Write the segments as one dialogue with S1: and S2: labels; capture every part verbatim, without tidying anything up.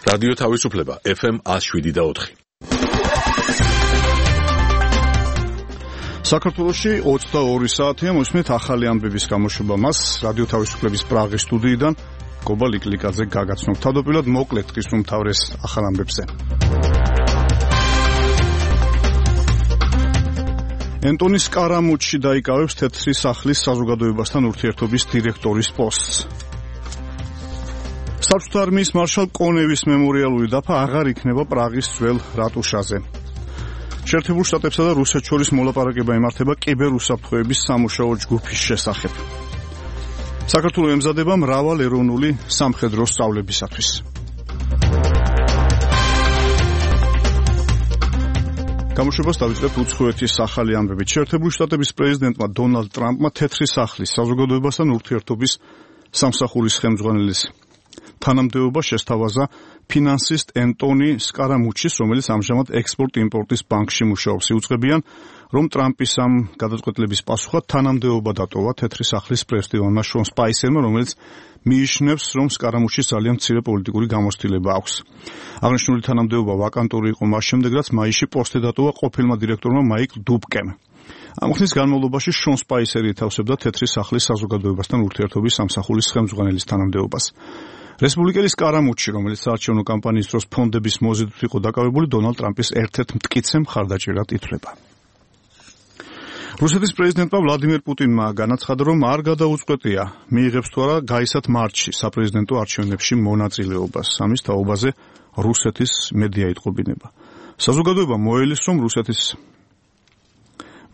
S1: რადიო თავისუფლება ეფ ემ ათს შვიდი და ოთხი.
S2: საქართველოში ოცდაორი საათია მოსმით ახალი ამბების გამოშვება მას რადიო თავისუფლების პრაღის სტუდიიდან გობა ლიკლიკაძე გაგაცნობ. თავდაპირველად მოკლედ დღის უმთავრეს ახალ ამბებზე. ენტონი სკარამუჩი დაიკავებს თეთრი სახლის საზოგადოებასთან ურთიერთობის დირექტორის პოსტს. საბჭოთა არმიის მარშალ კონევის მემორიალური დაფა აღარ იქნება პრაღის ძველ რატუშაზე. შეერთებულ შტატებსა და რუსეთს შორის მოლაპარაკება იმართება კიბერუსაფრთხოების სამუშაო ჯგუფის შესახებ. საქართველოს ემზადება მრავალ ეროვნული სამხედრო სწავლებისათვის. გამოშვებას დავიწყებთ უცხოეთის ახალი ამბებით. შეერთებული შტატების პრეზიდენტმა დონალდ ტრამპმა თეთრი სახლის საზოგადოებასთან ურთიერთობის სამსახურის ხელმძღვანელის თანამდებობა შესთავაზა ფინანსისტ ენტონი სკარამუჩის, რომელიც ამჟამად ექსპორტ-იმპორტის ბანკში მუშაობს. იუწყებიან, რომ ტრამპის ამ გადაწყვეტილების პასუხად თანამდებობა დატოვა თეთრი სახლის პრეზიდენტმა შონ სპაისერმა, რომელიც მიიჩნევს, რომ სკარამუჩის ძალიან მცირე პოლიტიკური გამოცდილება აქვს. აღნიშნული თანამდებობა ვაკანტური იყო მას შემდეგ, რაც მაისში პოსტი დატოვა ყოფილმა დირექტორმა მაიკლ დუბკემ. ამ ხნის განმავლობაში შონ სპაისერი ითავსებდა თეთრი სახლის საზოგადოებასთან ურთიერთობის სამსახურის ხელმძღვანელის თანამდებობას. რესპუბლიკელი სკარამუჩი, რომელიც საარჩევნო კამპანიის დროს ფონდების მოზიდვით იყო დაკავებული, დონალდ ტრამპის ერთ-ერთ მტკიცე მხარდაჭერად ითვლება. რუსეთის პრეზიდენტმა ვლადიმერ პუტინმა განაცხადა, რომ არ გადაუწყვეტია მიიღებს თუ არა გაისად მარტში საპრეზიდენტო არჩევნებში მონაწილეობას. ამის თაობაზე რუსეთის მედია იტყობინება. საზოგადოება მოელის, რომ რუსეთის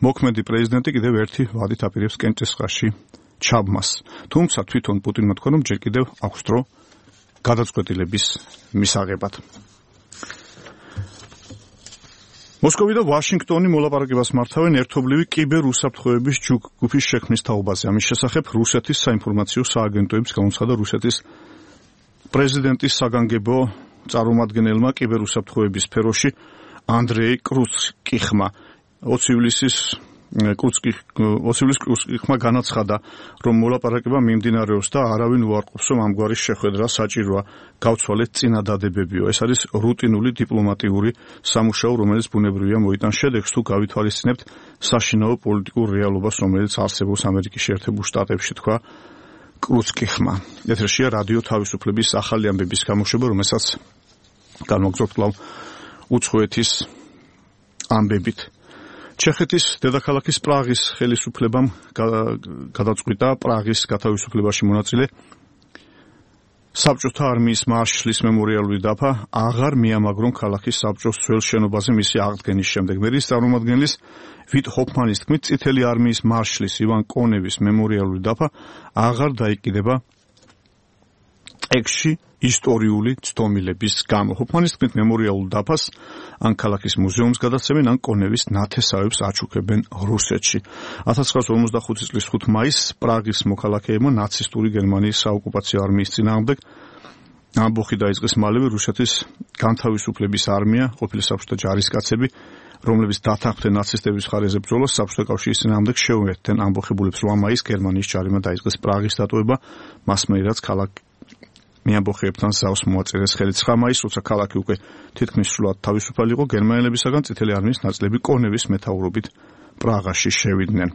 S2: მოქმედი პრეზიდენტი კიდევ ერთი ვადით აპირებს კენჭისყრაში ჩაბმას. თუმცა თვითონ პუტინმა თქვა, რომ ჯერ კიდევ აქვს დრო გადაწყვეტილების მისაღებად. მოსკოვი და ვაშინგტონი მოლაპარაკებას მართავენ ერთობლივი კიბერუსაფრთხოების ჯგუფის შექმნის თაობაზე. ამის შესახებ რუსეთის საინფორმაციო სააგენტოებს განაცხადა რუსეთის პრეზიდენტის საგანგებო წარმომადგენელმა კიბერუსაფრთხოების სფეროში ანდრეი კრუცკიხმა. ოცი ივლისის კრუცკიხმა განაცხადა, რომ მოლაპარაკება მიმდინარეობს და არავინ უარყოფს, რომ ამგვარი შეხვედრა საჭიროა, გავცვალეთ წინადადებებიო. ეს არის რუტინული დიპლომატიური სამუშაო, რომელიც ბუნებრივია მოიტანს შედეგს, თუ გავითვალისწინებთ საშინაო პოლიტიკურ რეალობას, რომელიც არსებობს ამერიკის შეერთებულ შტატებში, თქვა კრუცკიხმა. ეთერშია რადიო თავისუფლების ახალი ამბების გამოშვება, რომელსაც განვაგრძობთ კვლავ უცხოეთის ამბებით. ჩეხეთის დედაქალაქის პრაღის ხელისუფლებამ გადაწყვიტა პრაღის გათავისუფლებაში მონაწილე საბჭოთა არმიის მარშლის მემორიალური დაფა აღარ მიამაგრონ ქალაქის საბჭოს ძველ შენობაზე მისი აღდგენის შემდეგ. მერის წარმომადგენლის ვიტ ჰოფმანის თქმით, წითელი არმიის მარშლის ივან კონევის მემორიალური დაფა აღარ დაიკიდება ექში ისტორიული ცდომილების გამო. ჰოფმანის თქმით, მემორიალურ დაფას ან ქალაქის მუზეუმს გადაცემენ, ან კონევის ნათესავებს აჩუქებენ რუსეთში. ათას ცხრაასი ორმოცდახუთი წლის ხუთი მაისს პრაღის მოქალაქეებმა ნაცისტური გერმანიის საოკუპაციო არმიის წინააღმდეგ ამბოხი დაიწყეს. მალევე რუსეთის განთავისუფლების არმია, ყოფილი საბჭოთა ჯარისკაცები, რომლებიც დათანხმდნენ ნაცისტების მხარეზე ბრძოლას, საბჭოთა კავშირის წინააღმდეგ შეუერთდნენ ამბოხებულებს. რვა მაისს გერმანიის ჯარიმა დაიწყეს პრაღის დატოვება, მასმეერ რაც ქალაქ მიამბოხეებთან ზავს მოაწერეს ხელი. ცხრა მაისს, როცა ქალაქი უკვე თითქმის სრულად თავისუფალი იყო, გერმანელებისაგან წითელი არმიის ნაწილები კონევის მეთაურობით პრაღაში შევიდნენ.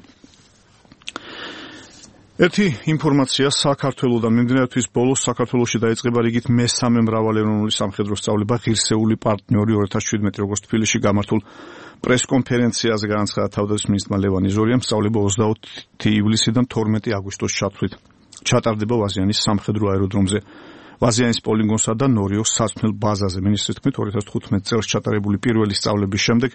S2: ერთი ინფორმაცია საქართველოდან. მიმდინარე თვის ბოლოს საქართველოში დაიწყება რიგით მესამე მრავალეროვნული სამხედრო სწავლება ღირსეული პარტნიორი ორი ათას შვიდმეტი, როგორც თბილისში გამართულ პრესკონფერენციაზე განაცხადა თავდაცვის მინისტრმა ლევან იზორიამ, სწავლება ოცდაოთხი ივლისიდან თორმეტი აგვისტოს ჩათვლით ჩატარდება ვაზიანის სამხედრო აეროდრომზე. ვაზიანის პოლიგონსა და ნორიოს საცვლელ ბაზაზე. მინისტრის თქმით, ორი ათას თხუთმეტი წელს ჩატარებული პირველი სწავლების შემდეგ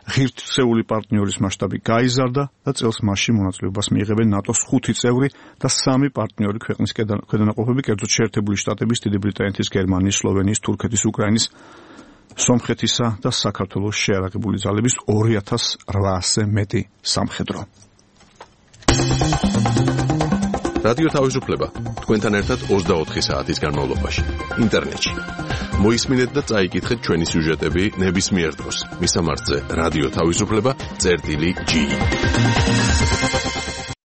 S2: ღირსეული პარტნიორის მასშტაბი გაიზარდა და წელს მასში მონაწილეობას მიიღებენ ნატოს ხუთი წევრი და სამი პარტნიორი ქვეყნის ქვედანაყოფები, კერძოდ შეერთებული შტატების, დიდი ბრიტანეთის, გერმანიის, სლოვენიის, თურქეთის, უკრაინის, სომხეთისა და საქართველოს შეიარაღებული ძალების ორი ათას რვაასზე მეტი სამხედრო.
S1: რადიო თავისუფლება თქვენთან ერთად ოცდაოთხი საათის განმავლობაში ინტერნეტში. მოისმინეთ და წაიკითხეთ ჩვენი სიუჟეტები ნებისმიერ დროს. მისამართზე რადიო თავისუფლება წერტილი ჯი.